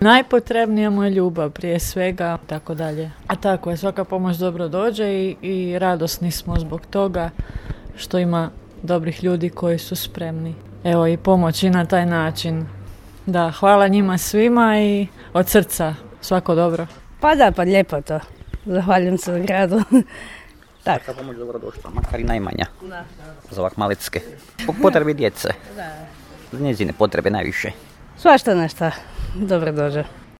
Najpotrebnija mu je ljubav prije svega, tako dalje. A tako je, svaka pomoć dobro dođe i radosni smo zbog toga što ima dobrih ljudi koji su spremni. Evo i pomoći na taj način. Da, hvala njima svima i od srca svako dobro. Pa da, pa lijepo to. Zahvaljujem se gradu. Tak. Svaka pomoć dobro došla, makar i najmanja. Da. Za ovak malecke. Po potrebi djece. Da. Za njezine potrebe najviše. Svašta nešto dobro dođe.